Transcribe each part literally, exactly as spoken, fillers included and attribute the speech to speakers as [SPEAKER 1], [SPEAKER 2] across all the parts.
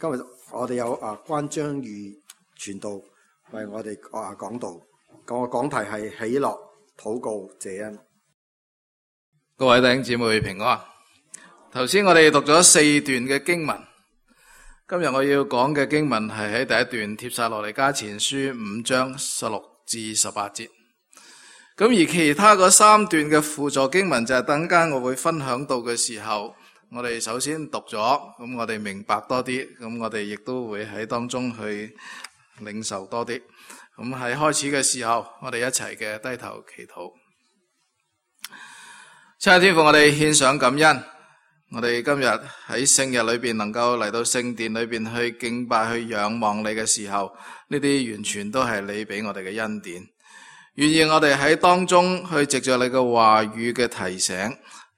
[SPEAKER 1] 今日我哋有啊關章裕傳道為我哋啊講道，個講題係喜樂禱告謝恩。
[SPEAKER 2] 各位弟兄姊妹平安。頭先我哋讀咗四段嘅經文，今日我要講嘅經文係喺第一段帖撒羅尼迦前書五章十六至十八節。咁而其他嗰三段嘅輔助經文就係等間我會分享到嘅時候，我哋首先讀咗，咁我哋明白多啲，咁我哋亦都會喺當中去領受多啲。咁喺開始嘅時候，我哋一齊嘅低頭祈禱。親愛的天父，我哋獻上感恩，我哋今日喺聖日裏邊能夠嚟到聖殿裏邊去敬拜、去仰望你嘅時候，呢啲完全都係你俾我哋嘅恩典。願意我哋喺當中去藉着你嘅話語嘅提醒，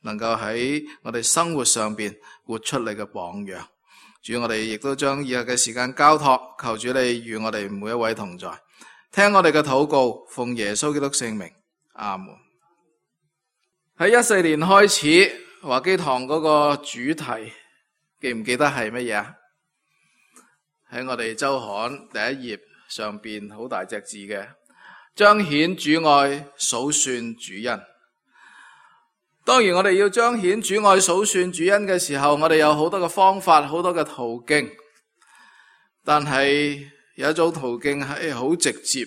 [SPEAKER 2] 能夠喺我哋生活上邊活出你嘅榜樣。主，我哋亦都將以後嘅時間交託，求主你與我哋每一位同在，聽我哋嘅禱告，奉耶穌基督聖名，阿門。喺一四年開始，華基堂嗰個主題記唔記得係乜嘢啊？喺我哋周刊第一頁上邊好大隻字嘅，彰顯主愛，數算主恩。當然我哋要彰顯主愛、數算主恩嘅時候，我哋有好多嘅方法，好多嘅途徑。但係有一種途徑係好直接，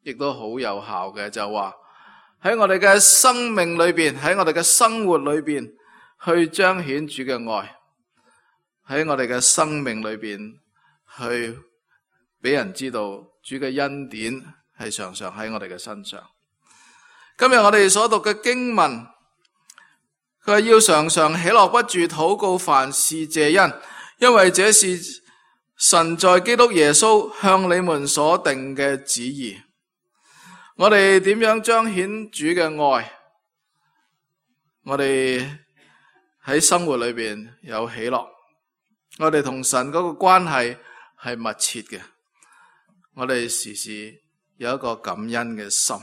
[SPEAKER 2] 亦都好有效嘅，就話喺我哋嘅生命裏邊，喺我哋嘅生活裏邊去彰顯主嘅愛，喺我哋嘅生命裏邊去俾人知道主嘅恩典係常常喺我哋嘅身上。今日我哋所讀嘅經文，佢話要常常喜樂不住禱告，凡事謝恩，因為這是神在基督耶穌向你們所定嘅旨意。我哋點樣彰顯主嘅愛？我哋喺生活裏邊有喜樂，我哋同神嗰個關係係密切嘅，我哋時時有一個感恩嘅心。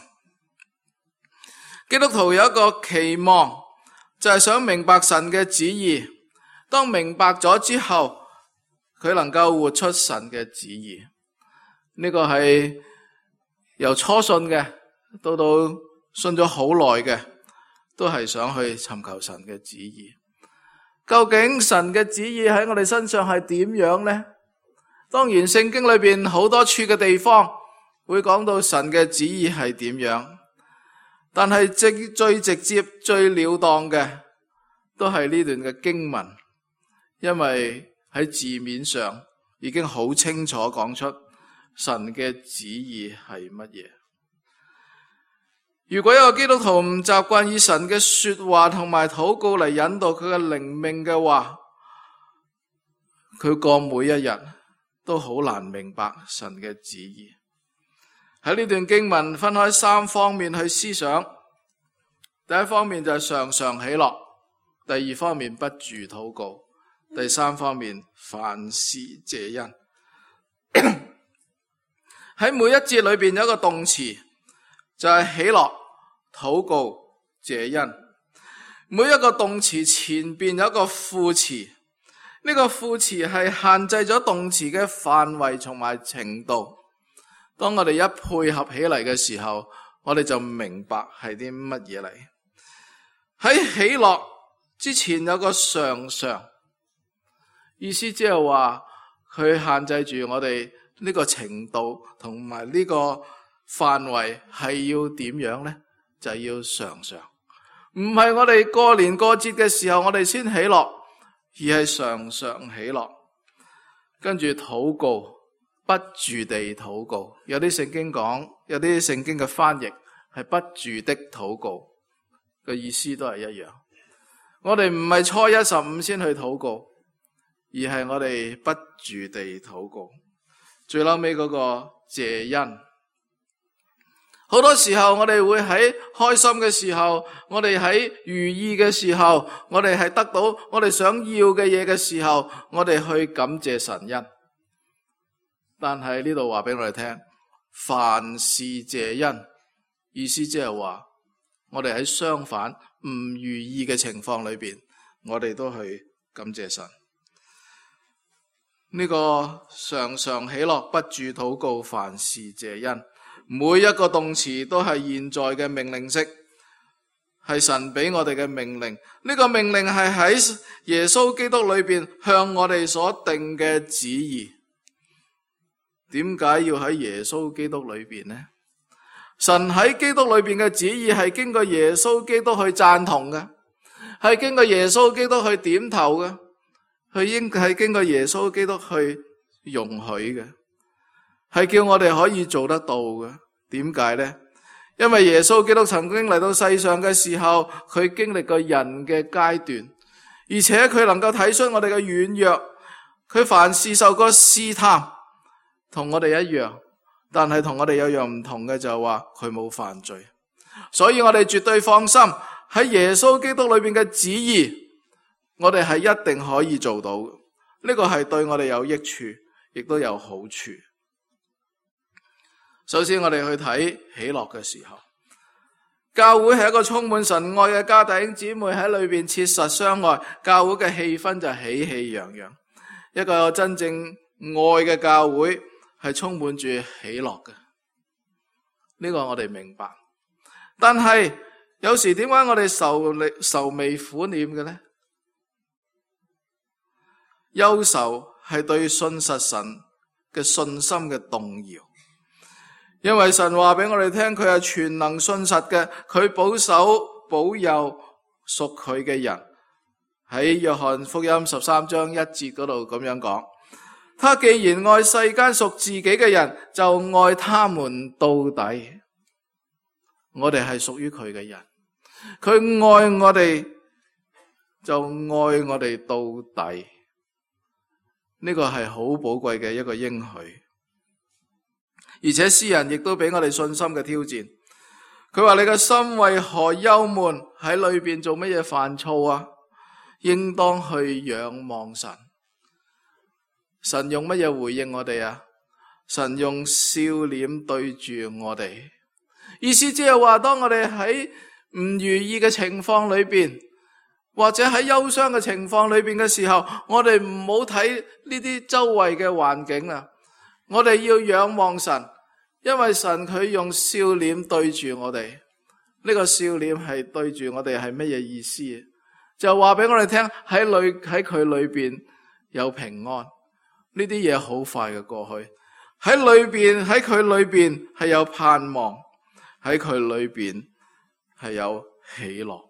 [SPEAKER 2] 基督徒有一個期望，就係想明白神嘅旨意。當明白咗之後，佢能夠活出神嘅旨意。呢個係由初信嘅到到信咗好耐嘅，都係想去尋求神嘅旨意。究竟神嘅旨意喺我哋身上係點樣呢？當然聖經裏邊好多處嘅地方會講到神嘅旨意係點樣，但係最最直接最了當嘅都係呢段嘅經文，因為喺字面上已經好清楚講出神嘅旨意係乜嘢。如果一個基督徒唔習慣以神嘅說話同埋禱告嚟引導佢嘅靈命嘅話，佢過每一日都好難明白神嘅旨意。喺呢段經文分開三方面去思想。第一方面就係常常喜樂，第二方面不住禱告，第三方面凡事謝恩。喺每一節裏邊有一個動詞，就係喜樂、禱告、謝恩。每一個動詞前邊有一個副詞，呢個副詞係限制咗動詞嘅範圍同埋程度。當我哋一配合起嚟嘅時候，我哋就明白係啲乜嘢嚟。喺喜樂之前有個常常，意思即係話佢限制住我哋呢個程度同埋呢個範圍係要點樣呢？就係要常常，唔係我哋過年過節嘅時候我哋先喜樂，而係常常喜樂。跟住禱告，不住地禱告。有啲聖經講，有啲聖經嘅翻譯係不住的禱告，嘅意思都係一樣。我哋唔係初一十五先去禱告，而係我哋不住地禱告。最後尾嗰個謝恩，好多時候我哋會喺開心嘅時候，我哋喺如意嘅時候，我哋係得到我哋想要嘅嘢嘅時候，我哋去感謝神恩。但係呢度話俾我哋聽，凡事謝恩，意思即係話我哋喺相反唔如意嘅情況裏邊，我哋都去感謝神。呢個常常喜樂，不住禱告，凡事謝恩，每一個動詞都係現在嘅命令式，係神俾我哋嘅命令。呢個命令係喺耶穌基督裏邊向我哋所定嘅旨意。點解要喺耶穌基督裏邊呢？神喺基督裏邊嘅旨意係經過耶穌基督去贊同嘅，係經過耶穌基督去點頭嘅，佢應係經過耶穌基督去容許嘅，係叫我哋可以做得到嘅。點解呢？因為耶穌基督曾經嚟到世上嘅時候，佢經歷過人嘅階段，而且佢能夠睇出我哋嘅軟弱，佢凡事受過試探，同我哋一樣，但係同我哋有樣唔同嘅就係話佢冇犯罪，所以我哋絕對放心喺耶穌基督裏邊嘅旨意，我哋係一定可以做到嘅。呢個係對我哋有益處，亦都有好處。首先我哋去睇喜樂嘅時候，教會係一個充滿神愛嘅家，弟兄姊妹喺裏邊切實相愛，教會嘅氣氛就喜氣洋洋。一個真正愛嘅教會係充滿住喜樂嘅，呢個我哋明白。但係有時點解我哋愁愁眉苦臉嘅呢？憂愁係對信實神嘅信心嘅動搖。因為神話俾我哋聽，佢係全能信實嘅，佢保守保佑屬佢嘅人。喺約翰福音十三章一節嗰度咁樣講，他既然愛世間屬自己嘅人，就愛他們到底。我哋係屬於佢嘅人，佢愛我哋就愛我哋到底。呢個係好寶貴嘅一個應許。而且詩人亦都俾我哋信心嘅挑戰，佢話你嘅心為何憂悶，喺裏邊做乜嘢煩躁啊？應當去仰望神。神用乜嘢回應我哋啊？神用笑臉對住我哋，意思即係話當我哋喺唔如意嘅情況裏邊，或者喺憂傷嘅情況裏邊嘅時候，我哋唔好睇呢啲周圍嘅環境啊，我哋要仰望神。因為神佢用笑臉對住我哋，呢個笑臉係對住我哋係乜嘢意思？就話俾我哋聽，喺裏喺佢裏邊有平安，呢啲嘢好快嘅過去。喺裏邊喺佢裏邊係有盼望，喺佢裏邊係有喜樂。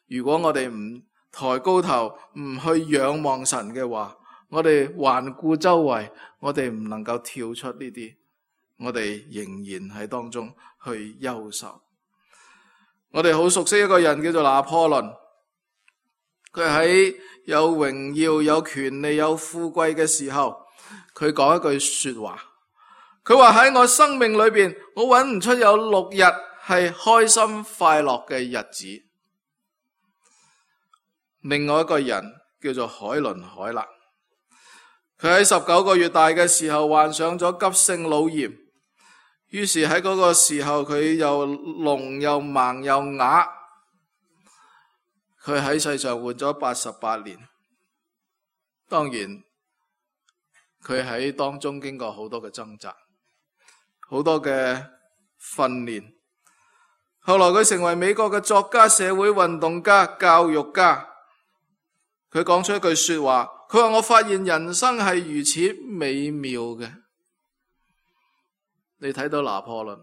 [SPEAKER 2] 如果我哋唔抬高頭，唔去仰望神嘅話，我哋環顧周圍，我哋唔能夠跳出呢啲。我哋仍然喺當中去憂愁。我哋好熟悉一個人叫做拿破崙，佢喺有榮耀、有權利、有富貴嘅時候，佢講一句說話。佢話喺我生命裏邊，我揾唔出有六日係開心快樂嘅日子。另外一個人叫做海倫凱勒，佢喺十九個月大嘅時候患上咗急性腦炎。於是喺嗰個時候，佢又聾又盲又啞，佢喺世上活咗八十八年。當然，佢喺當中經過好多嘅掙扎，好多嘅訓練。後來佢成為美國嘅作家、社會運動家、教育家。佢講出一句說話，佢話：我發現人生係如此美妙嘅。你睇到拿破崙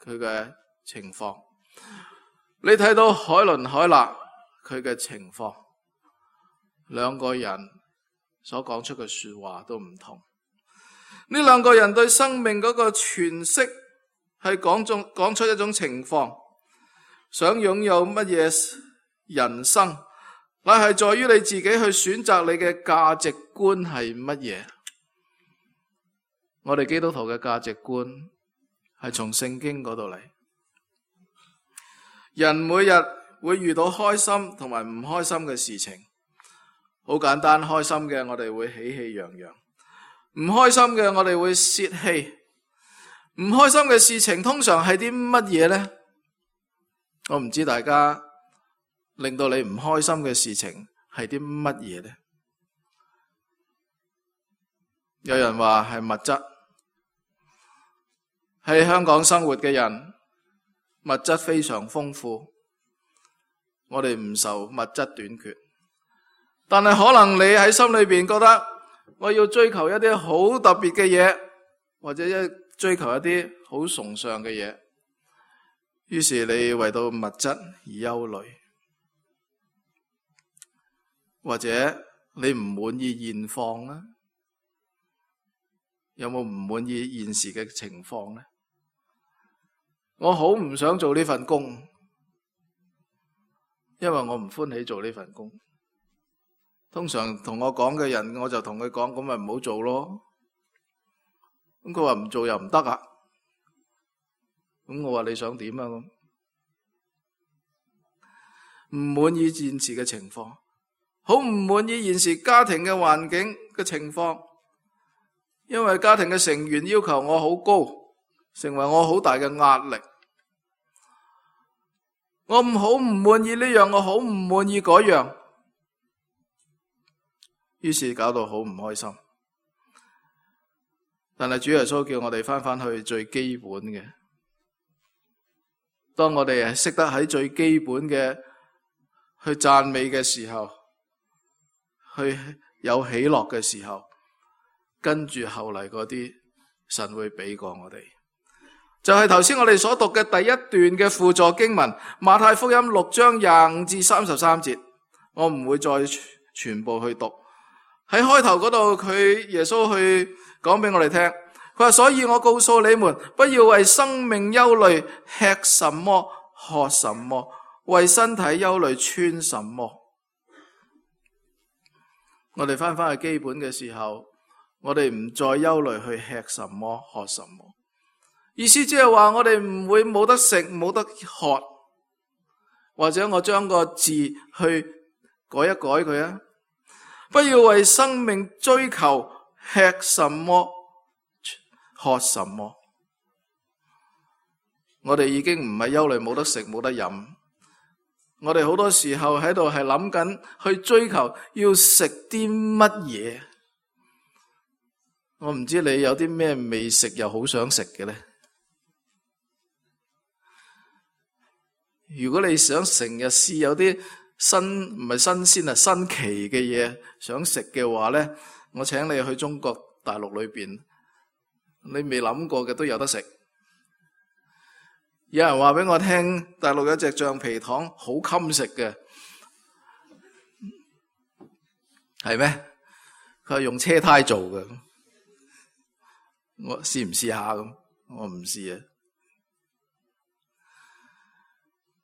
[SPEAKER 2] 佢嘅情況，你睇到海倫凱勒佢嘅情況，兩個人所講出嘅說話都唔同。呢兩個人對生命嗰個詮釋係講中講出一種情況，想擁有乜嘢人生，乃係在於你自己去選擇你嘅價值觀係乜嘢。我哋基督徒嘅價值觀係從聖經嗰度嚟。人每日會遇到開心同埋唔開心嘅事情，好簡單，開心嘅我哋會喜氣洋洋，唔開心嘅我哋會泄氣。唔開心嘅事情通常係啲乜嘢呢？我唔知大家令到你唔開心嘅事情係啲乜嘢呢？有人話係物質。喺香港生活嘅人，物質非常豐富，我哋唔受物質短缺。但係可能你喺心裏邊覺得，我要追求一啲好特別嘅嘢，或者一追求一啲好崇尚嘅嘢，於是你為到物質而憂慮，或者你唔滿意現況呢？有冇唔滿意現時嘅情況呢？我好唔想做呢份工，因為我唔歡喜做呢份工。通常同我講嘅人，我就同佢講，咁咪唔好做咯。咁佢話唔做又唔得啊。咁我話你想點啊？咁唔滿意現時嘅情況，好唔滿意現時家庭嘅環境嘅情況，因為家庭嘅成員要求我好高，成為我好大嘅壓力。我唔好唔滿意呢樣，我好唔滿意嗰樣。於是搞到好唔開心，但係主耶穌叫我哋翻返去最基本嘅。當我哋係識得喺最基本嘅去讚美嘅時候，去有喜樂嘅時候，跟住後嚟嗰啲神會俾過我哋。就係頭先我哋所讀嘅第一段嘅輔助經文，馬太福音六章廿五至三十三節，我唔會再全部去讀。喺開頭嗰度，佢耶穌去講俾我哋聽，佢話：所以我告訴你們，不要為生命憂慮，吃什麼，喝什麼；為身體憂慮，穿什麼。我哋翻返去基本嘅時候，我哋唔再憂慮去吃什麼，喝什麼。意思即係話，我哋唔會冇得食，冇得喝，或者我將個字去改一改佢啊。不要為生命追求吃什麼喝什麼。我哋已經唔係憂慮冇得食冇得飲，我哋好多時候喺度係諗緊去追求要食啲乜嘢。我唔知你有啲咩未食又好想食嘅呢？如果你想成日試有啲新唔係新鮮啊新奇嘅嘢想食嘅話呢，我請你去中國大陸裏邊，你未諗過嘅都有得食。有人話俾我聽，大陸有隻橡皮糖好襟食嘅，係咩？佢係用車胎做嘅，我試唔試下咁？我唔試啊。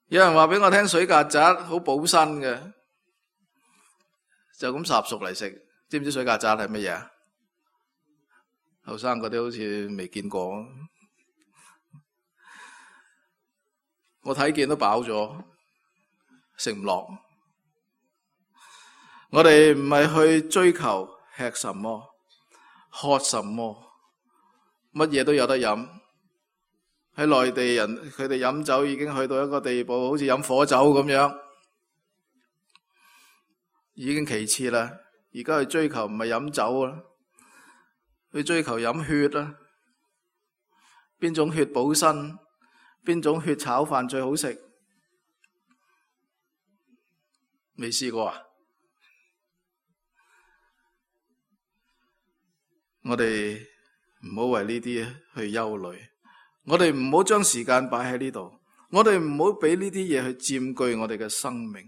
[SPEAKER 2] 有人話俾我聽，水曱甴好補身嘅，就咁烚熟嚟食。知唔知水曱甴係乜嘢？後生嗰啲好似未見過，我睇見都飽咗，食唔落。我哋唔係去追求吃什麼、喝什麼，乜嘢都有得飲。喺內地人，佢哋飲酒已經去到一個地步，好似飲火酒咁樣，已經其次啦。而家去追求唔係飲酒啦，去追求飲血啦。邊種血補身？邊種血炒飯最好食？未試過啊？我哋唔好為呢啲去憂慮。我哋唔好將時間擺喺呢度，我哋唔好俾呢啲嘢去佔據我哋嘅生命。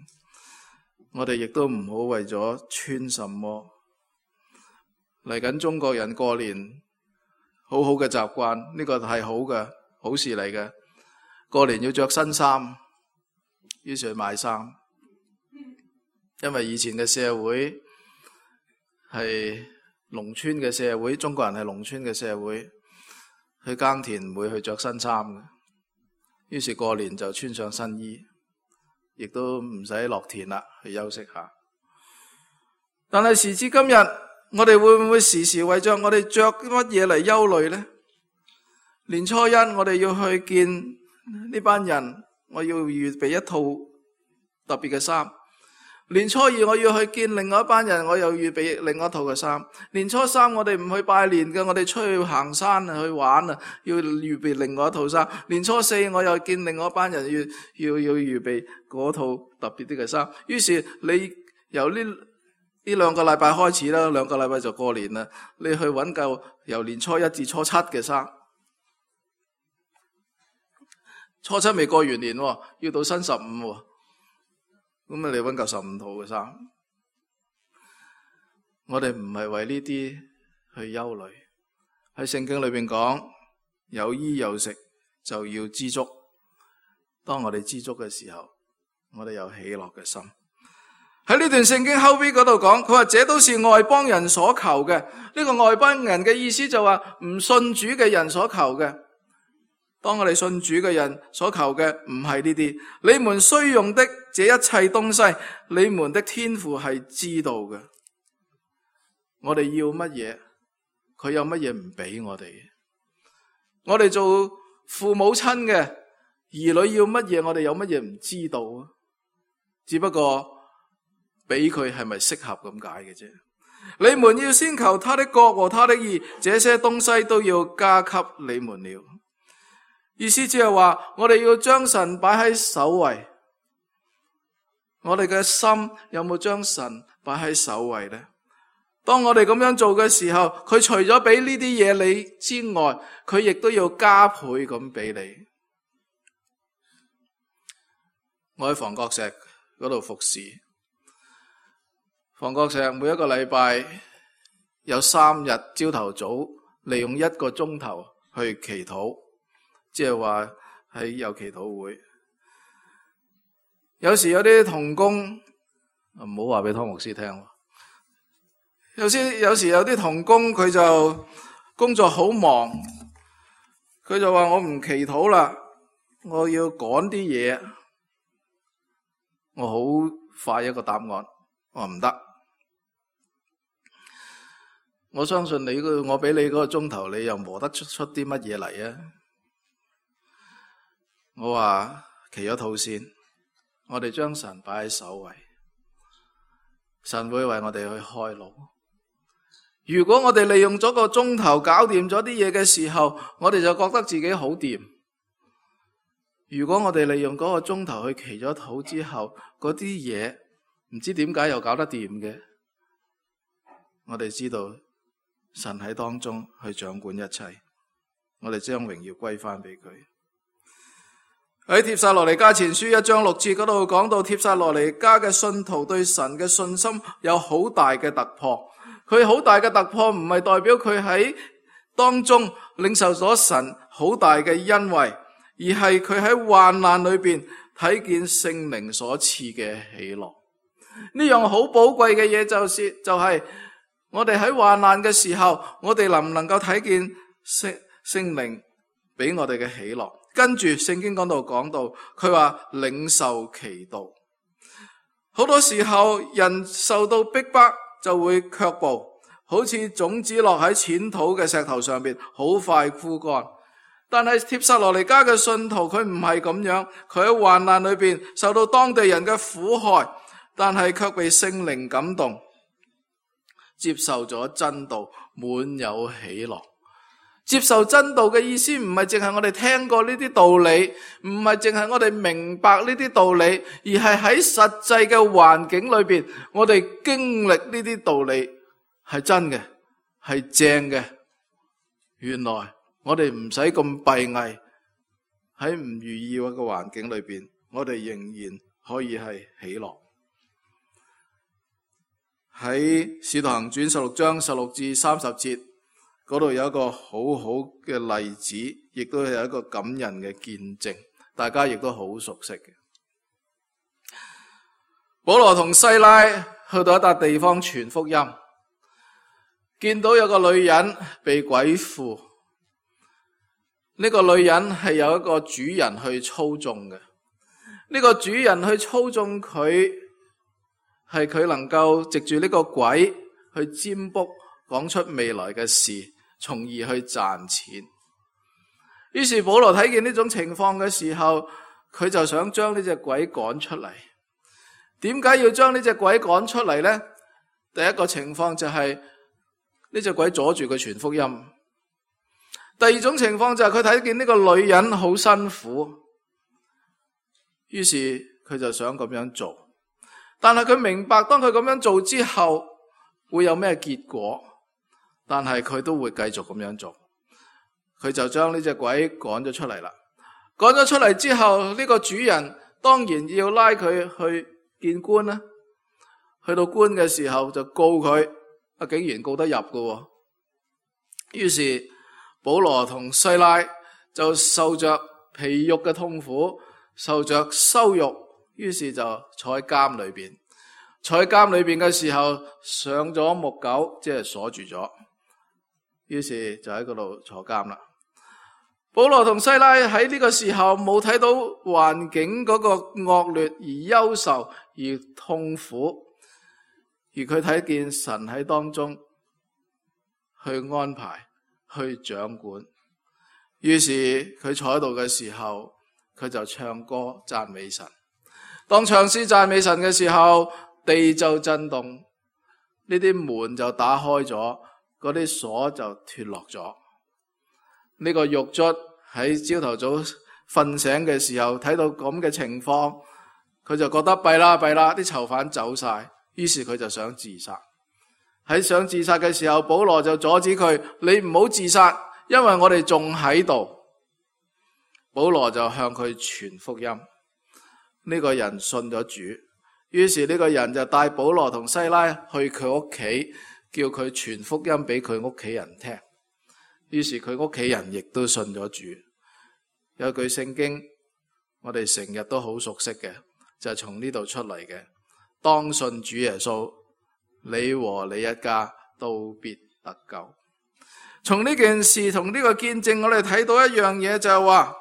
[SPEAKER 2] 我哋亦都唔好為咗穿什麼。嚟緊中國人過年，好好嘅習慣，呢個係好嘅，好事嚟嘅。過年要着新衫，於是去買衫。因為以前嘅社會係農村嘅社會，中國人係農村嘅社會。去耕田唔會去着新衫嘅，於是過年就穿上新衣，亦都唔使落田啦，去休息下。但係時至今日，我哋會唔會時時為着我哋着乜嘢嚟憂慮呢？年初一我哋要去見呢班人，我要預備一套特別嘅衫。年初二我要去見另外一班人，我又預備另外一套嘅衫。年初三我哋唔去拜年嘅，我哋出去行山啊，去玩啊，要預備另外一套衫。年初四我又見另外一班人，要要要預備嗰套特別啲嘅衫。於是你由呢呢兩個禮拜開始啦，兩個禮拜就過年啦。你去揾夠由年初一至初七嘅衫，初七未過完年，要到新十五。咁啊，你揾夠十五套嘅衫。我哋唔係為呢啲去憂慮。喺聖經裏邊講，有衣有食就要知足。當我哋知足嘅時候，我哋有喜樂嘅心。喺呢段聖經後邊嗰度講，佢話這都是外邦人所求嘅。呢個外邦人嘅意思就話唔信主嘅人所求嘅。當我哋信主嘅人所求嘅唔係呢啲，你們需用的這一切東西，你們的天父係知道嘅。我哋要乜嘢，佢有乜嘢唔俾我哋。我哋做父母親嘅兒女要乜嘢，我哋有乜嘢唔知道啊？只不過俾佢係咪適合咁解嘅啫。你們要先求他的國和他的義，這些東西都要加給你們了。意思即係話，我哋要將神擺喺首位。我哋嘅心有冇將神擺喺首位呢？當我哋咁樣做嘅時候，佢除咗俾呢啲嘢你之外，佢亦都要加倍咁俾你。我喺房角石嗰度服侍，房角石每一個禮拜有三日朝頭早利用一個鐘頭去祈禱。即係話喺有祈禱會，有時有啲同工唔好話俾湯牧師聽。有時有時有啲同工佢就工作好忙，佢就話我唔祈禱啦，我要趕啲嘢，我好快一個答案，我話唔得。我相信你個我俾你嗰個鐘頭，你又磨得出出啲乜嘢嚟啊？我話祈咗禱先，我哋將神擺喺首位，神會為我哋去開路。如果我哋利用咗個鐘頭搞掂咗啲嘢嘅時候，我哋就覺得自己好掂。如果我哋利用嗰個鐘頭去祈咗禱之後，嗰啲嘢唔知點解又搞得掂嘅，我哋知道神喺當中去掌管一切，我哋將榮耀歸翻俾佢。喺帖撒羅尼迦前書一章六節嗰度講到，帖撒羅尼迦嘅信徒對神嘅信心有好大嘅突破。佢好大嘅突破唔係代表佢喺當中領受咗神好大嘅恩惠，而係佢喺患難裏邊睇見聖靈所賜嘅喜樂。呢樣好寶貴嘅嘢就是就係、是、我哋喺患難嘅時候，我哋能唔能夠睇見聖聖靈俾我哋嘅喜樂？跟住聖經講到講到，佢話領受其道。好多時候人受到逼迫就會卻步，好似種子落喺淺土嘅石頭上邊，好快枯乾。但係帖撒羅尼迦嘅信徒佢唔係咁樣，佢喺患難裏邊受到當地人嘅苦害，但係卻被聖靈感動，接受咗真道，滿有喜樂。接受真道嘅意思唔係淨係我哋聽過呢啲道理，唔係淨係我哋明白呢啲道理，而係喺實際嘅環境裏邊，我哋經歷呢啲道理係真嘅，係正嘅。原來我哋唔使咁閉翳，喺唔如意嘅環境裏邊，我哋仍然可以係喜樂。喺使徒行傳十六章十六至三十節嗰度有一個好好嘅例子，亦都有一個感人嘅見證，大家亦都好熟悉嘅。保羅同西拉去到一笪地方傳福音，見到有個女人被鬼附，呢個女人係有一個主人去操縱嘅，呢個主人去操縱佢，係佢能夠藉住呢個鬼去占卜，講出未來嘅事，從而去賺錢。於是保羅睇見呢種情況嘅時候，佢就想將呢隻鬼趕出嚟。點解要將呢隻鬼趕出嚟呢？第一個情況就係呢隻鬼阻住佢傳福音。第二種情況就係佢睇見呢個女人好辛苦，於是佢就想咁樣做。但係佢明白當佢咁樣做之後會有咩結果，但係佢都會繼續咁樣做。佢就將呢隻鬼趕咗出嚟啦。趕咗出嚟之後，呢個主人當然要拉佢去見官啦。去到官嘅時候就告佢，啊竟然告得入嘅。於是保羅同西拉就受着皮肉嘅痛苦，受着羞辱，於是就坐喺監裏邊。坐喺監裏邊嘅時候，上咗木狗，即係鎖住咗。於是就喺嗰度坐監啦。保羅同西拉喺呢個時候冇睇到環境嗰個惡劣而憂愁而痛苦，而佢睇見神喺當中去安排去掌管。於是佢坐喺度嘅時候，佢就唱歌讚美神。當唱詩讚美神嘅時候，地就震動，呢啲門就打開咗，嗰啲鎖就脫落咗。呢個獄卒喺朝頭早瞓醒嘅時候睇到咁嘅情況，佢就覺得弊啦弊啦，啲囚犯走晒，於是佢就想自殺。喺想自殺嘅時候，保羅就阻止佢，你唔好自殺，因為我哋仲喺度。保羅就向佢傳福音，呢個人信咗主，於是呢個人就帶保羅同西拉去佢屋企，叫佢傳福音俾佢屋企人聽。於是佢屋企人亦都信咗主。有句聖經我哋成日都好熟悉嘅，就係從呢度出嚟嘅，當信主耶穌，你和你一家都必得救。從呢件事同呢個見證，我哋睇到一樣嘢，就係話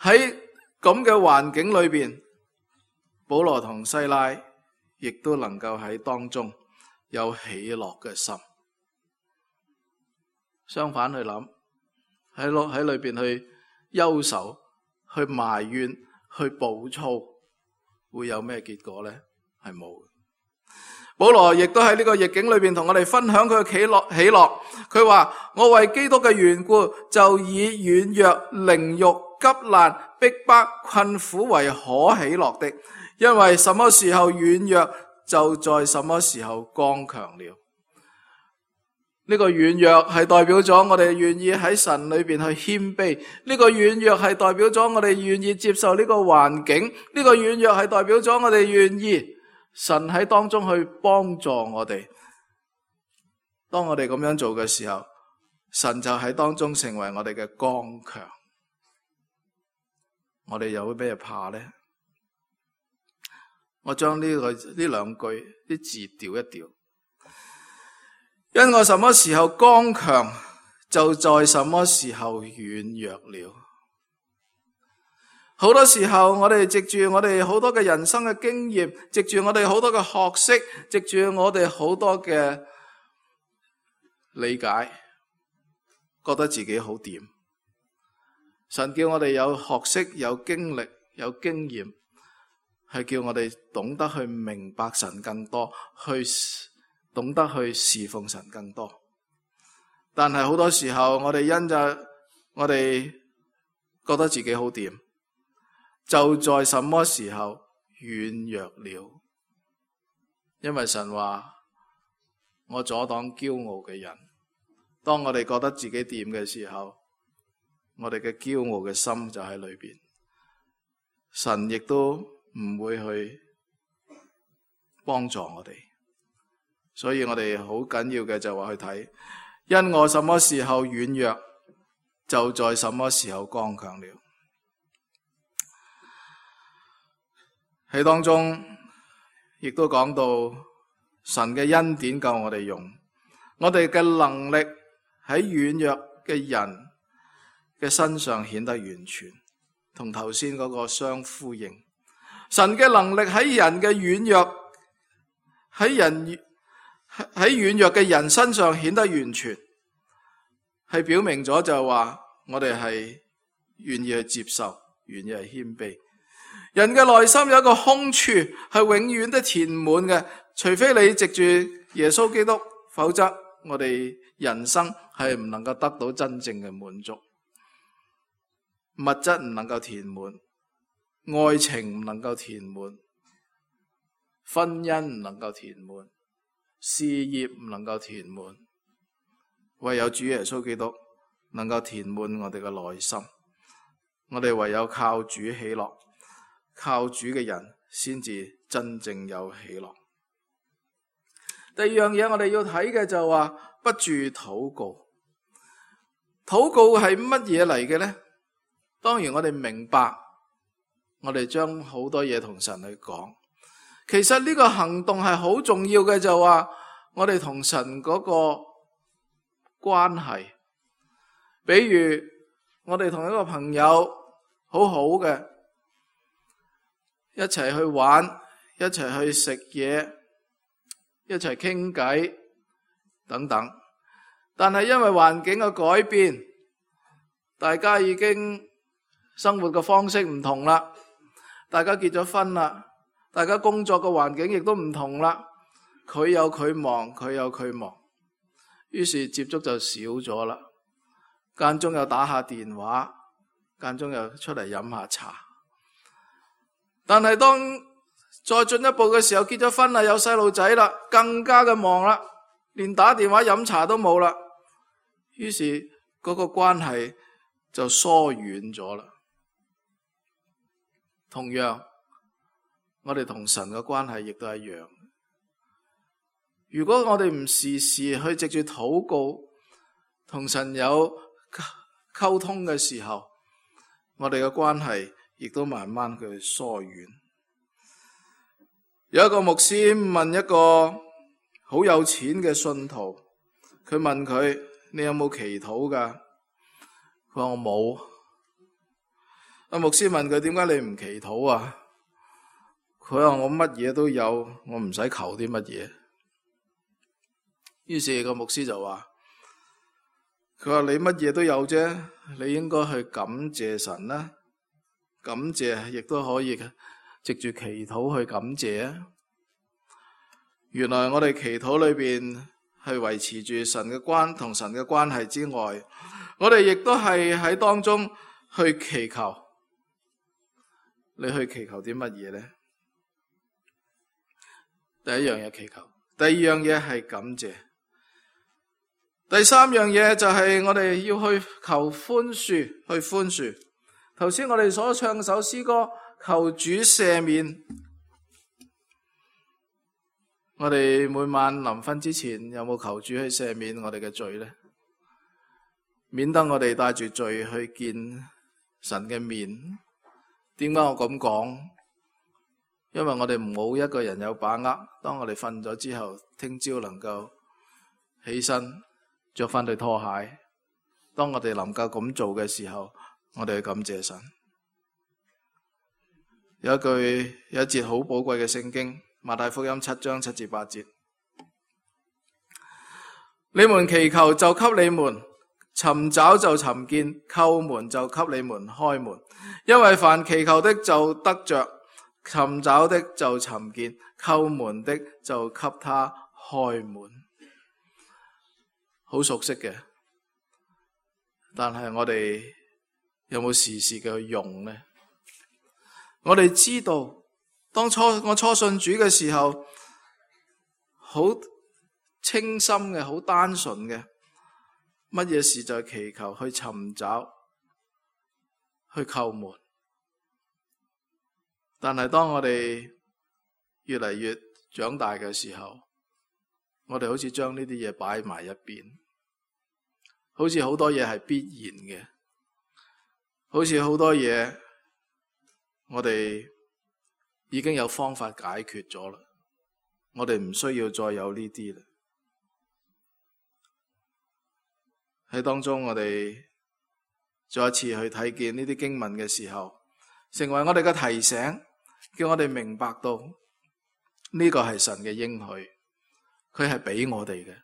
[SPEAKER 2] 喺咁嘅環境裏邊，保羅同西拉亦都能夠喺當中有喜樂嘅心。相反去諗，喺落喺裏邊去憂愁、去埋怨、去暴躁，會有咩結果呢？係冇。保羅亦都喺呢個逆境裏邊同我哋分享佢嘅喜樂。喜樂，佢話：我為基督嘅緣故，就以軟弱、凌辱、急難、逼迫、困苦為可喜樂的，因為什麼時候軟弱，就在什麼時候剛強了。呢個軟弱係代表咗我哋願意喺神裏邊去謙卑，呢個軟弱係代表咗我哋願意接受呢個環境，呢個軟弱係代表咗我哋願意神喺當中去幫助我哋。當我哋咁樣做嘅時候，神就喺當中成為我哋嘅剛強。我哋又會俾人怕呢？我將呢個呢兩句啲字調一調。因我什麼時候剛強，就在什麼時候軟弱了。好多時候我哋藉住我哋好多嘅人生嘅經驗，藉住我哋好多嘅學識，藉住我哋好多嘅理解，覺得自己好掂。神叫我哋有學識、有經歷、有經驗，係叫我哋懂得去明白神更多，去懂得去侍奉神更多。但係好多時候我哋因着我哋覺得自己好掂，就在什麼時候軟弱了。因為神話我阻擋驕傲嘅人。當我哋覺得自己掂嘅時候，我哋嘅驕傲嘅心就喺裏邊，神亦都唔會去幫助我哋。所以我哋好緊要嘅就話去睇，因我什麼時候軟弱，就在什麼時候剛強了。喺當中亦都講到神嘅恩典夠我哋用，我哋嘅能力喺軟弱嘅人嘅身上顯得完全，同頭先嗰個相呼應。神嘅能力喺人嘅軟弱，喺人喺軟弱嘅人身上顯得完全，係表明咗就係話我哋係願意去接受，願意去謙卑。人嘅內心有一個空處係永遠都填滿嘅，除非你藉住耶穌基督，否則我哋人生係唔能夠得到真正嘅滿足。物質唔能夠填滿，愛情唔能夠填滿，婚姻唔能夠填滿，事業唔能夠填滿，唯有主耶穌基督能夠填滿我哋嘅內心。我哋唯有靠主喜樂，靠主嘅人先至真正有喜樂。第二樣嘢我哋要睇嘅就話不住禱告。禱告係乜嘢嚟嘅呢？當然我哋明白，我哋將好多嘢同神去講。其實呢個行動係好重要嘅，就話我哋同神嗰個關係。比如我哋同一個朋友好好嘅，一齊去玩，一齊去食嘢，一齊傾偈等等。但係因為環境嘅改變，大家已經生活嘅方式唔同啦，大家結咗婚啦，大家工作嘅環境亦都唔同啦，佢有佢忙，佢有佢忙，於是接觸就少咗啦。間中又打下電話，間中又出嚟飲下茶。但係當再進一步嘅時候，結咗婚啦，有細路仔啦，更加嘅忙啦，連打電話飲茶都冇啦，於是嗰個關係就疏遠咗啦。同樣，我哋同神嘅關係亦都一樣。如果我哋唔時時去藉住禱告同神有溝通嘅時候，我哋嘅關係亦都慢慢去疏遠。有一個牧師問一個好有錢嘅信徒，佢問佢：你有冇祈禱噶？佢話我冇。阿牧師問佢：點解你唔祈禱啊？佢話我乜嘢都有，我唔使求啲乜嘢。於是個牧師就話：佢話你乜嘢都有啫，你應該去感謝神啦。感謝亦都可以藉住祈禱去感謝啊。原來我哋祈禱裏邊係維持住神嘅關同神嘅關係之外，我哋亦都係喺當中去祈求。你去祈求啲乜嘢呢？第一樣嘢祈求，第二樣嘢係感謝，第三樣嘢就係我哋要去求寬恕，去寬恕。頭先我哋所唱首詩歌，求主赦免。我哋每晚臨瞓之前有冇求主去赦免我哋嘅罪呢？免得我哋帶住罪去見神嘅面。點解我咁講？因為我哋冇一個人有把握，當我哋瞓咗之後，聽朝能夠起身着翻對拖鞋。當我哋能夠咁做嘅時候，我哋去感謝神。有一句有一節好寶貴嘅聖經，馬太福音七章七至八節：你們祈求就給你們，尋找就尋見，叩門就給你們開門。因為凡祈求的就得着，尋找的就尋見，叩門的就給他開門。好熟悉嘅，但係我哋有冇時時嘅去用呢？我哋知道，當初我初信主嘅時候，好清心嘅，好單純嘅，乜嘢事就係祈求，去尋找，去叩門。但係當我哋越嚟越長大嘅時候，我哋好似將呢啲嘢擺埋一邊，好似好多嘢係必然嘅，好似好多嘢我哋已經有方法解決咗啦，我哋唔需要再有呢啲啦。喺當中我哋再一次去睇見呢啲經文嘅時候，成為我哋嘅提醒，叫我哋明白到呢個係神嘅應許，佢係俾我哋嘅，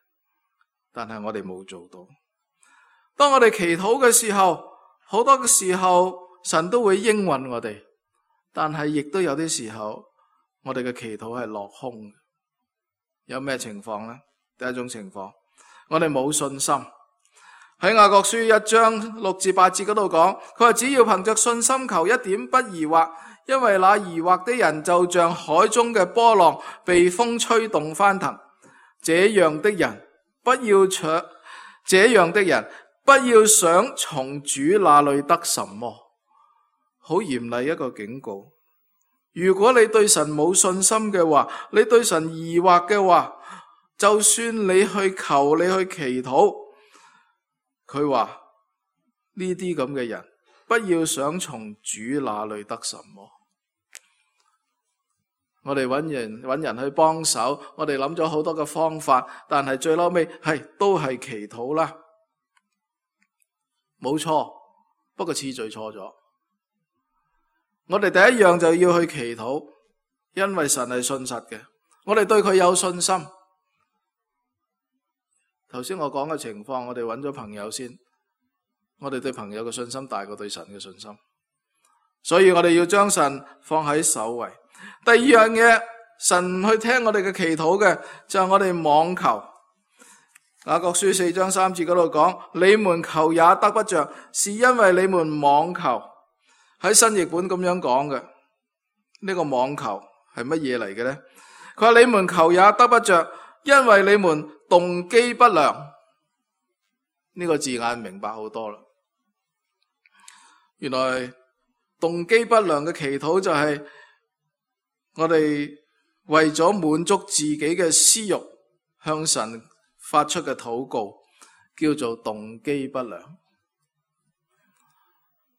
[SPEAKER 2] 但係我哋冇做到。當我哋祈禱嘅時候，好多嘅時候神都會應允我哋，但係亦都有啲時候，我哋嘅祈禱係落空嘅。有咩情況呢？第一種情況，我哋冇信心。喺雅各書一章六至八節嗰度講，佢話只要憑着信心求，一點不疑惑，因為那疑惑的人就像海中嘅波浪，被風吹動翻騰。這樣的人不要搶，這樣的人不要想從主那裏得什麼。好嚴厲一個警告。如果你對神冇信心嘅話，你對神疑惑嘅話，就算你去求，你去祈禱，佢話呢啲咁嘅人不要想從主那裏得什麼。我哋揾人揾人去幫手，我哋諗咗好多嘅方法，但係最嬲尾係都係祈禱啦，冇錯，不過次序錯咗。我哋第一樣就要去祈禱，因為神係信實嘅，我哋對佢有信心。頭先我講嘅情況，我哋揾咗朋友先，我哋對朋友嘅信心大過對神嘅信心，所以我哋要將神放喺首位。第二樣嘢，神去聽我哋嘅祈禱嘅，就係我哋妄求。雅各書四章三節嗰度講，你們求也得不着，是因為你們妄求。喺新譯本咁樣講嘅，呢個妄求係乜嘢嚟嘅呢？佢話你們求也得不着，因為你們動機不良。呢個字眼明白好多啦。原來動機不良嘅祈禱就係我哋為咗滿足自己嘅私欲向神發出嘅禱告，叫做動機不良。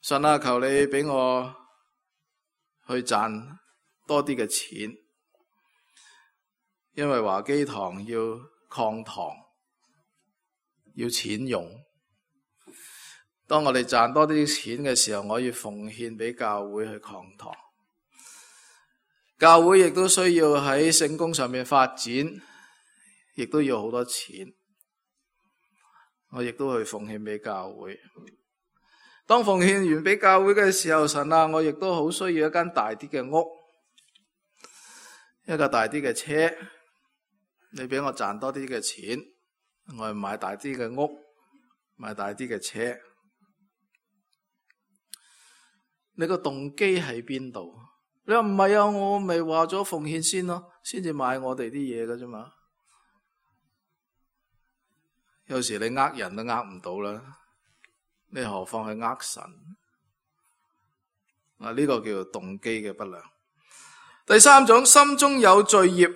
[SPEAKER 2] 神啊，求你俾我去賺多啲嘅錢，因為華基堂要擴堂，要錢用。當我哋賺多啲錢嘅時候，我要奉獻俾教會去擴堂。教會亦都需要喺聖工上面發展，亦都要好多錢。我亦都去奉獻俾教會。當奉獻完俾教會嘅時候，神啊，我亦都好需要一間大啲嘅屋，一個大啲嘅車。你俾我賺多啲嘅錢，我去買大啲嘅屋，買大啲嘅車。你個動機喺邊度？你話唔係啊，我咪話咗奉獻先咯，先至買我哋啲嘢㗎啫嘛。有時你呃人都呃唔到啦，你何況係呃神？啊，呢個叫做動機嘅不良。第三種，心中有罪孽。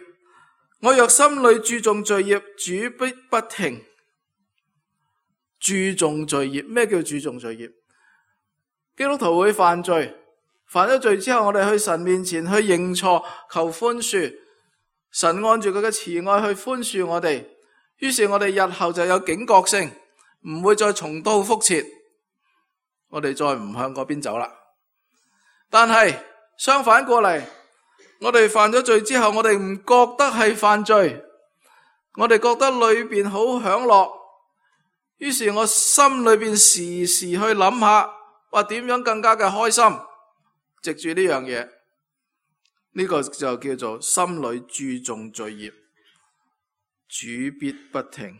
[SPEAKER 2] 我若心裏注重罪孽，主必不聽。注重罪孽，咩叫注重罪孽？基督徒會犯罪，犯咗罪之後，我哋去神面前去認錯，求寬恕。神按住佢嘅慈愛去寬恕我哋，於是我哋日後就有警覺性，唔會再重蹈覆轍。我哋再唔向嗰邊走啦。但係相反過嚟，我哋犯咗罪之後，我哋唔覺得係犯罪，我哋覺得裏邊好享樂，於是我心裏邊時時去諗下，話點樣更加嘅開心，藉住呢樣嘢，呢個就叫做心裏注重罪孽，主必不聽。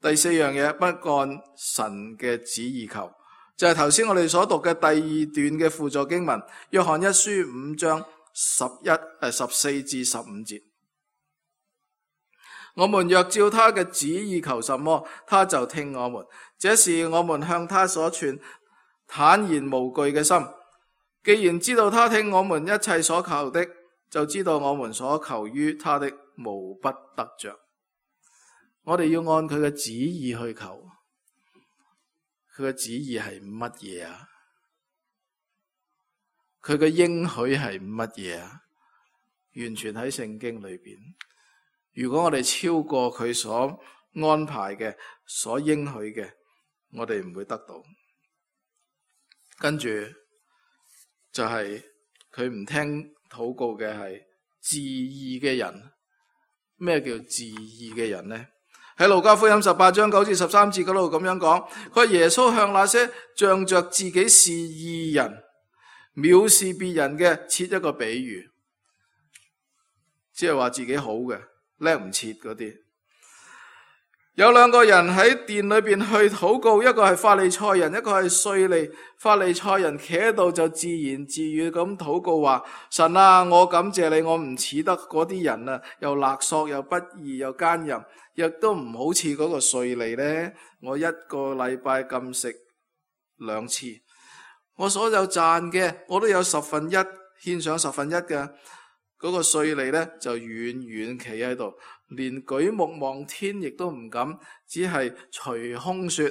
[SPEAKER 2] 第四樣嘢，不按神嘅旨意求，就係頭先我哋所讀嘅第二段嘅輔助經文，約翰一書五章十一誒十四至十五節。我們若照他嘅旨意求什麼，他就聽我們。這是我們向他所存坦然無懼嘅心。既然知道他聽我們一切所求的，就知道我們所求於他的無不得着。我哋要按佢嘅旨意去求。佢嘅旨意係乜嘢啊？佢嘅應許係乜嘢啊？完全喺聖經裏邊。如果我哋超過佢所安排嘅、所應許嘅，我哋唔會得到。跟住就係佢唔聽禱告嘅係自義嘅人。咩叫自義嘅人呢？喺路加福音十八章九至十三節嗰度咁樣講，佢話耶穌向那些仗着自己是義人，藐視別人嘅設一個比喻，即係話自己好嘅叻唔切嗰啲。有兩個人喺殿裏邊去禱告，一個係法利賽人，一個係稅吏。法利賽人企喺度就自言自語咁禱告話：神啊，我感謝你，我唔似得嗰啲人啊，又勒索又不義又奸淫，亦都唔好似嗰個稅吏呢。我一個禮拜禁食兩次，我所有賺嘅我都有十分一獻上十分一嘅。嗰個稅吏呢，就遠遠企喺度，連舉目望天亦都唔敢，只係捶胸說：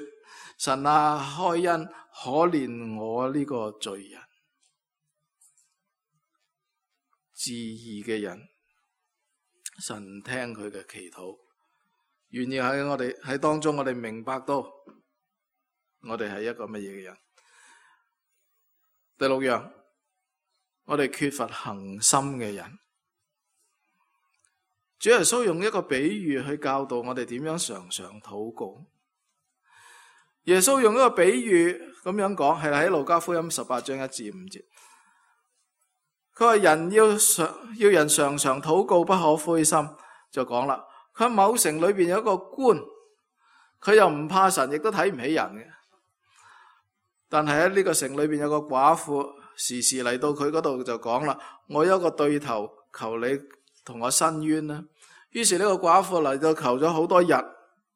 [SPEAKER 2] 神啊，開恩可憐我呢個罪人。自義嘅人，神聽佢嘅祈禱，願意喺我哋喺當中，我哋明白到我哋係一個乜嘢嘅人。第六樣，我哋缺乏恒心嘅人。主耶穌用一個比喻去教導我哋點樣常常禱告。耶穌用一個比喻咁樣講，係喺路加福音十八章一至五節。佢話人要常要人常常禱告，不可灰心。就講啦，佢喺某城裏邊有一個官，佢又唔怕神，亦都睇唔起人嘅。但係喺呢個城裏邊有個寡婦，時時嚟到佢嗰度就講啦：我有一個對頭，求你同我申冤啦。於是呢個寡婦嚟到求咗好多日，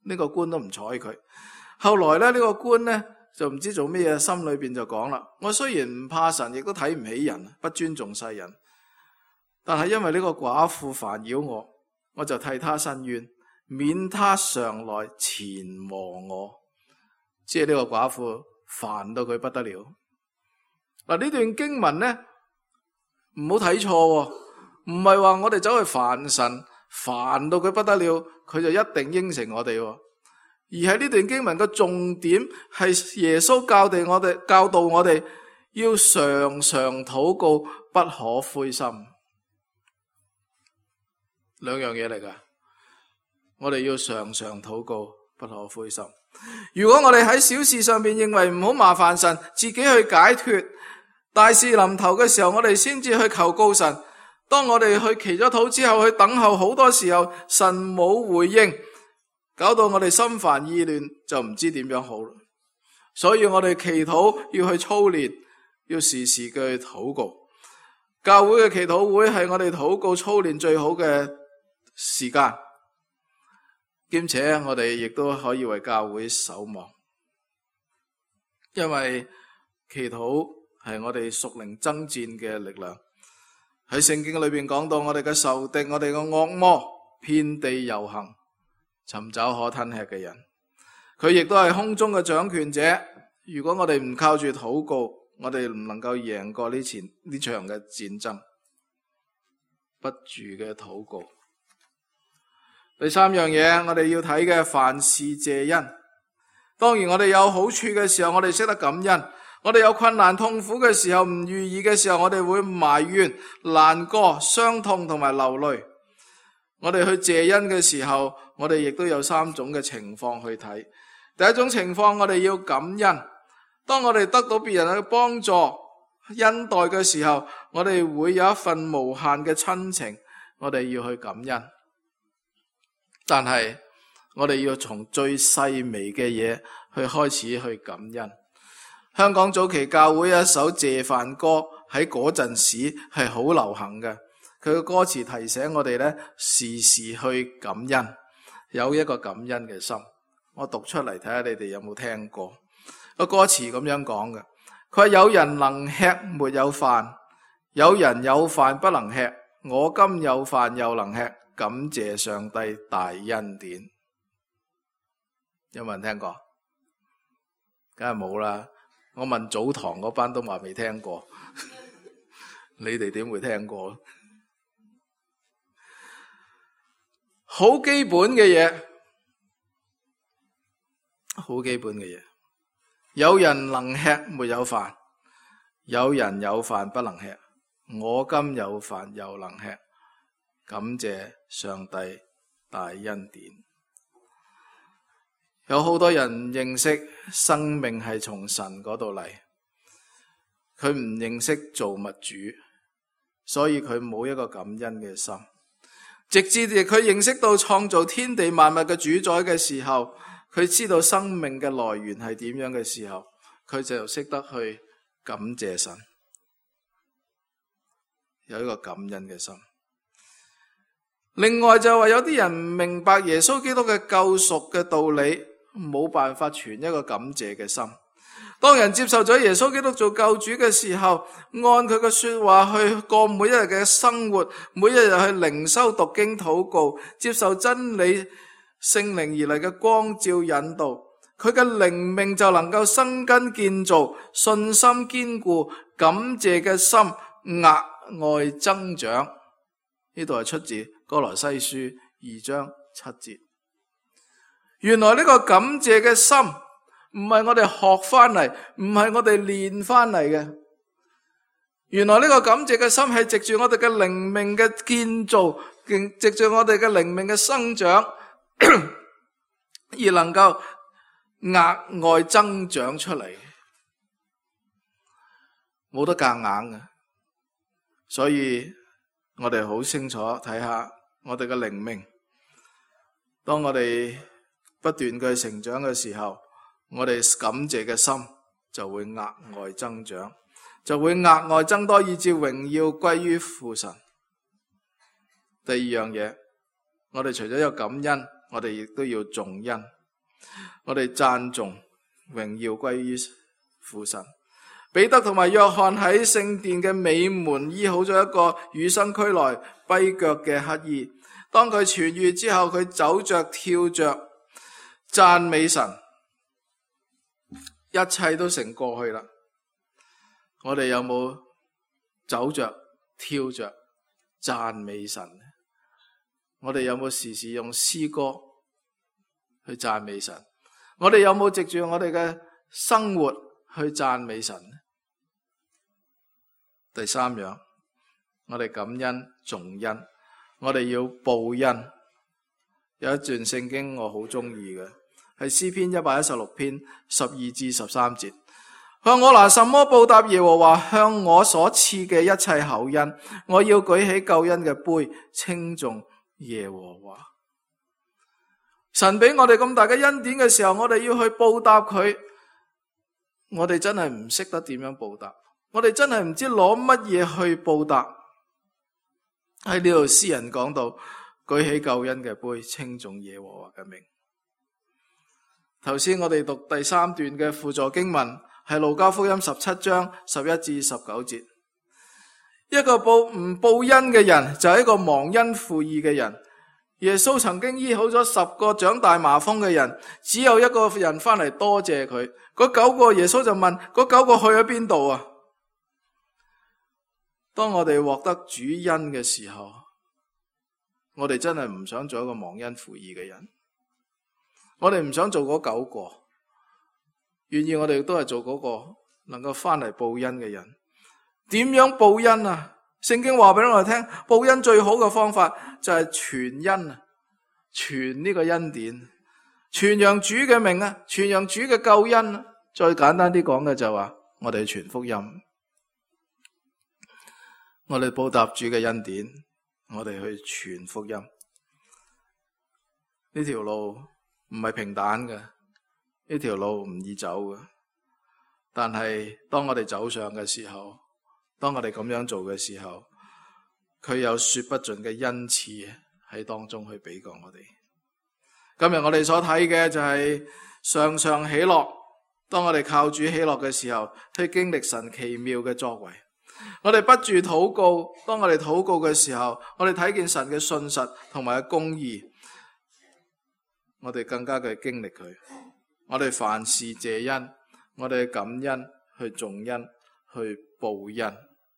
[SPEAKER 2] 呢個官都唔睬佢。後來咧，呢個官呢，就唔知做咩嘢，心裏邊就講啦：我雖然唔怕神，亦都睇唔起人，不尊重世人，但係因為呢個寡婦煩擾我，我就替他申冤，免他常來纏磨我。即係呢個寡婦煩到佢不得了。嗱，呢段經文呢，唔好睇錯，唔係話我哋走去煩神，煩到佢不得了，佢就一定應承我哋。而喺呢段經文嘅重點係耶穌教導我哋，教導我哋要常常禱告，不可灰心。兩樣嘢嚟噶，我哋要常常禱告，不可灰心。如果我哋喺小事上面認為唔好麻煩神，自己去解脫，大事臨頭嘅時候，我哋先至去求告神。當我哋去祈咗禱之後，去等候好多時候，神冇回應，搞到我哋心煩意亂，就唔知點樣好。所以我哋祈禱要去操練，要時時嘅去禱告。教會嘅祈禱會係我哋禱告操練最好嘅時間，兼且我哋亦都可以為教會守望，因為祈禱係我哋屬靈爭戰嘅力量。喺聖經裏邊講到，我哋嘅仇敵，我哋嘅惡魔遍地遊行，尋找可吞吃嘅人。佢亦都係空中嘅掌權者。如果我哋唔靠住禱告，我哋唔能夠贏過呢前呢場嘅戰爭。不住嘅禱告。第三樣嘢，我哋要睇嘅，凡事謝恩。當然我哋有好處嘅時候，我哋識得感恩。我哋有困難痛苦嘅時候，唔如意嘅時候，我哋會埋怨、難過、傷痛同埋流淚。我哋去謝恩嘅時候，我哋亦都有三種嘅情況去睇。第一種情況，我哋要感恩。當我哋得到別人嘅幫助、恩待嘅時候，我哋會有一份無限嘅親情，我哋要去感恩。但係我哋要從最細微嘅嘢去開始去感恩。香港早期教會有一首謝飯歌，喺嗰陣時係好流行嘅。佢嘅歌詞提醒我哋咧，時時去感恩，有一個感恩嘅心。我讀出嚟睇下你哋有冇聽過。個歌詞咁樣講嘅，佢話有人能吃沒有飯，有人有飯不能吃，我今有飯又能吃，感謝上帝大恩典。有冇人聽過？梗係冇啦。我問早堂嗰班都話未聽過，你哋點會聽過？好基本嘅嘢，好基本嘅嘢。有人能吃沒有飯，有人有飯不能吃，我今有飯又能吃，感謝上帝大恩典。有好多人認識生命係從神嗰度嚟，佢唔認識造物主，所以佢冇一個感恩嘅心。直至佢認識到創造天地萬物嘅主宰嘅時候，佢知道生命嘅來源係點樣嘅時候，佢就識得去感謝神，有一個感恩嘅心。另外就話有啲人唔明白耶穌基督嘅救贖嘅道理，冇辦法存一個感謝嘅心。當人接受咗耶穌基督做救主嘅時候，按佢嘅說話去過每一日嘅生活，每一日去靈修讀經禱告，接受真理聖靈而嚟嘅光照引導，佢嘅靈命就能夠生根建造，信心堅固，感謝嘅心額外增長。呢度係出自歌羅西書二章七節。原來呢個感謝嘅心唔係我哋學翻嚟，唔係我哋練翻嚟嘅。原來呢個感謝嘅心係藉住我哋嘅靈命嘅建造，藉住我哋嘅靈命嘅生長，而能夠額外增長出嚟，冇得夾硬嘅。所以我哋好清楚睇下我哋嘅靈命，當我哋不斷嘅成長嘅時候，我哋感謝嘅心就會額外增長，就會額外增多，以致榮耀歸於父神。第二樣嘢，我哋除咗有感恩，我哋亦都要頌恩，我哋讚頌榮耀歸於父神。彼得同埋約翰喺聖殿嘅美門醫好咗一個與生俱來跛腳嘅乞兒，當佢痊癒之後，佢走着跳着讚美神，一切都成過去啦。我哋有冇走着跳着讚美神？我哋有冇時時用詩歌去讚美神？我哋有冇藉住我哋嘅生活去讚美神？第三樣，我哋感恩頌恩，我哋要報恩。有一段聖經我好中意嘅，係詩篇一百一十六篇十二至十三節。向我拿什麼報答耶和華向我所賜嘅一切厚恩？我要舉起救恩嘅杯，稱頌耶和華。神俾我哋咁大嘅恩典嘅時候，我哋要去報答佢。我哋真係唔識得點樣報答，我哋真係唔知攞乜嘢去報答。喺呢度詩人講到，舉起救恩嘅杯，稱頌耶和華嘅名。頭先我哋讀第三段嘅輔助經文係路加福音十七章十一至十九節。一個報唔報恩嘅人就係一個忘恩負義嘅人。耶穌曾經醫好咗十個長大麻風嘅人，只有一個人翻嚟多謝佢。嗰九個耶穌就問：嗰九個去咗邊度啊？當我哋獲得主恩嘅時候，我哋真係唔想做一個忘恩負義嘅人。我哋唔想做嗰九個，願意我哋都係做嗰個能夠翻嚟報恩嘅人。點樣報恩啊？聖經話俾我哋聽，報恩最好嘅方法就係傳恩啊，傳呢個恩典，傳揚主嘅名啊，傳揚主嘅救恩啊。再簡單啲講嘅就話，我哋傳福音，我哋報答主嘅恩典，我哋去傳福音。呢條路唔係平坦嘅，呢條路唔易走嘅。但係當我哋走上嘅時候，當我哋咁樣做嘅時候，佢有說不盡嘅恩賜喺當中去俾過我哋。今日我哋所睇嘅就係常常喜樂。當我哋靠主喜樂嘅時候，去經歷神奇妙嘅作為。我哋不住禱告，當我哋禱告嘅時候，我哋睇見神嘅信實同埋嘅公義，我哋更加嘅經歷佢。我哋凡事謝恩，我哋感恩去頌恩去報恩，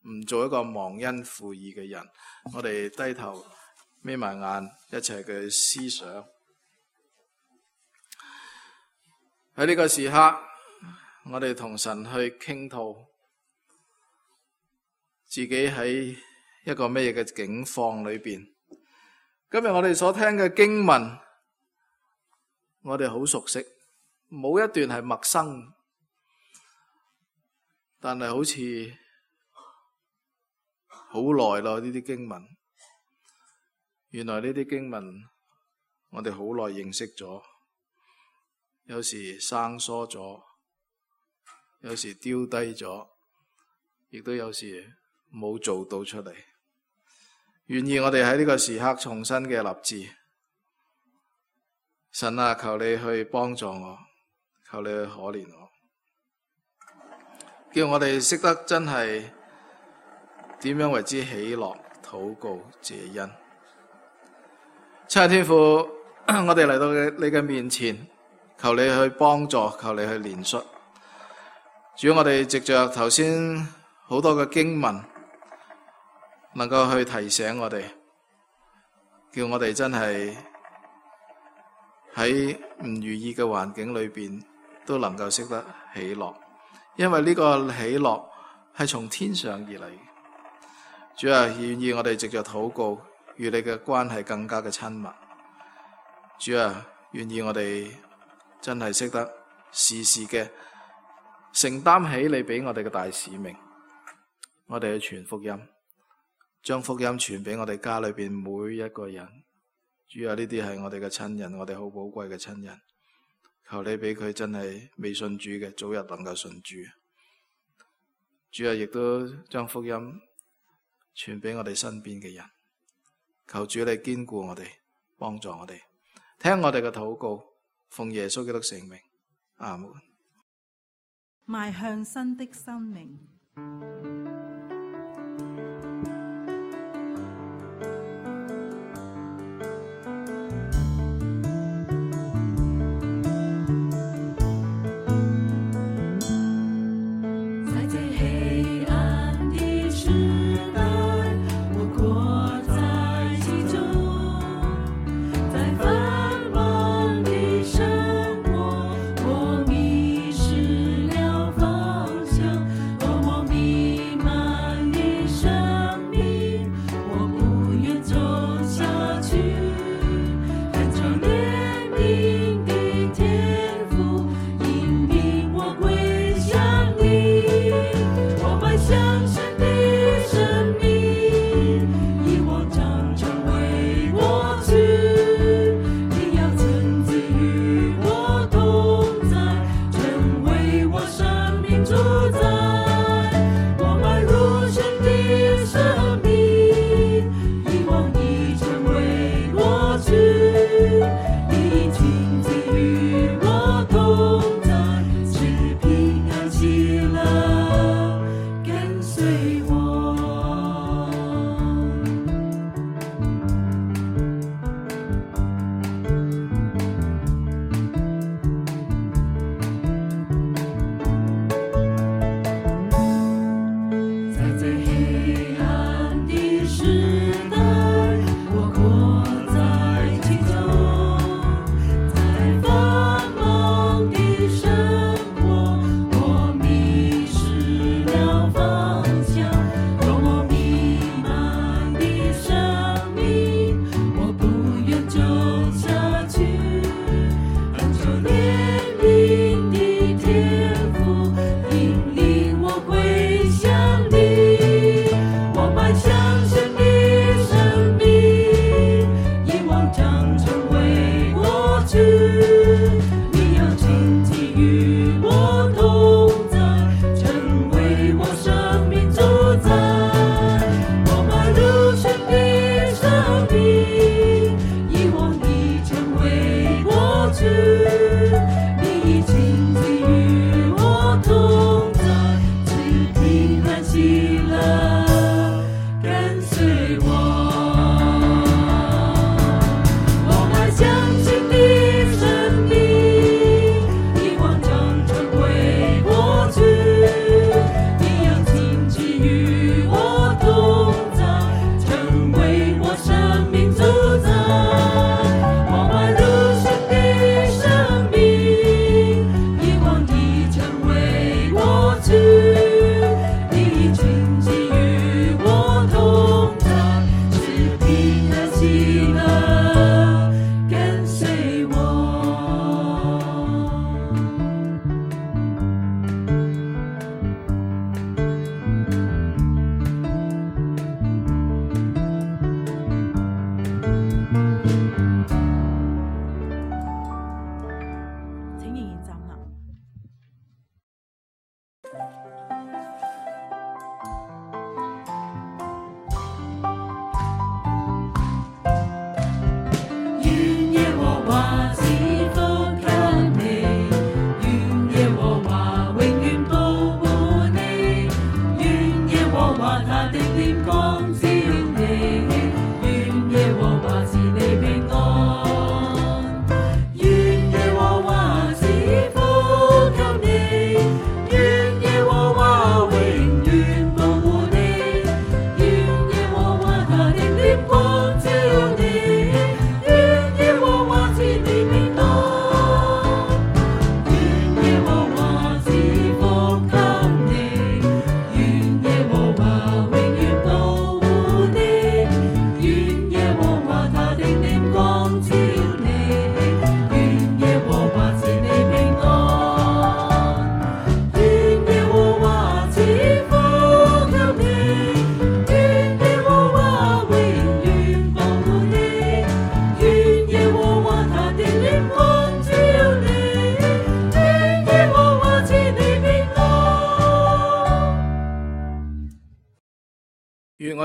[SPEAKER 2] 唔做一個忘恩負義嘅人。我哋低頭眯埋眼，一齊嘅思想。喺呢個時刻，我哋同神去傾吐自己喺一個咩嘅境況裏邊。今日我哋所聽嘅經文，我哋好熟悉，冇一段係陌生。但係好似好耐咯，呢啲經文，原來呢啲經文我哋好耐認識咗，有時生疏咗，有時丟低咗，亦都有時冇做到出嚟。願意我哋喺呢個時刻重新嘅立志，神啊，求你去幫助我，求你去可憐我，叫我哋識得真係點樣為之喜樂、禱告、謝恩。親愛天父，我哋嚟到你嘅面前，求你去幫助，求你去憐恤。主，我哋藉着頭先好多嘅經文，能夠去提醒我哋，叫我哋真係喺唔如意嘅環境裏邊，都能夠識得喜樂，因為呢個喜樂係從天上而嚟。主啊，願意我哋藉着禱告，與你嘅關係更加嘅親密。主啊，願意我哋真係識得時時嘅承擔起你俾我哋嘅大使命，我哋去傳福音，將福音傳俾我哋家裏邊每一個人。主啊，呢啲係我哋嘅親人，我哋好寶貴嘅親人，求你俾佢真係未信主嘅，早日能夠信主。主啊，亦都將福音傳俾我哋身邊嘅人，求主你堅固我哋，幫助我哋，聽我哋嘅禱告，奉耶穌基督聖名，阿門。
[SPEAKER 3] 邁向新的生命。
[SPEAKER 4] 我迷失了方向，而我迷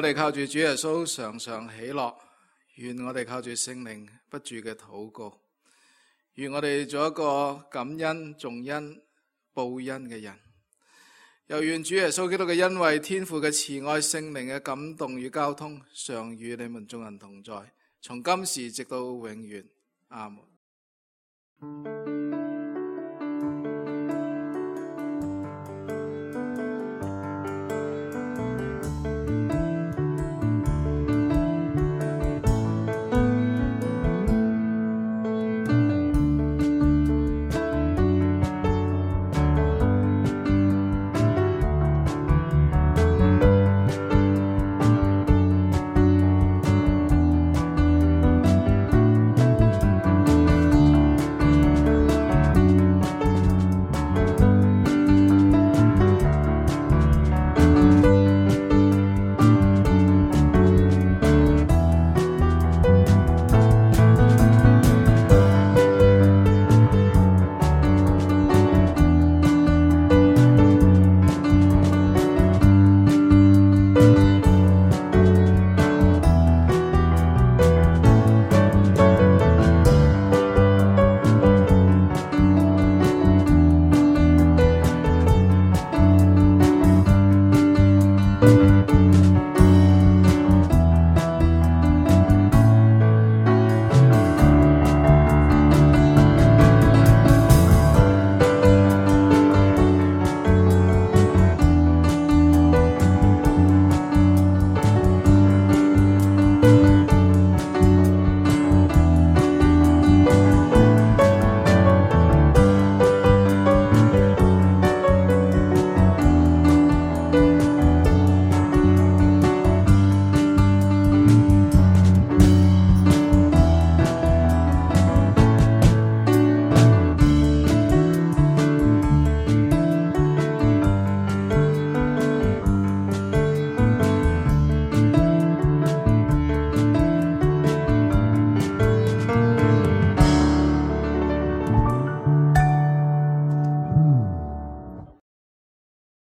[SPEAKER 2] 我哋靠住主耶穌常常喜樂，願我哋靠住聖靈不住嘅禱告，願我哋做一個感恩、重恩、報恩嘅人。又願主耶穌基督嘅恩惠、天父嘅慈愛、聖靈嘅感動與交通，常與你們眾人同在，從今時直到永遠。阿門。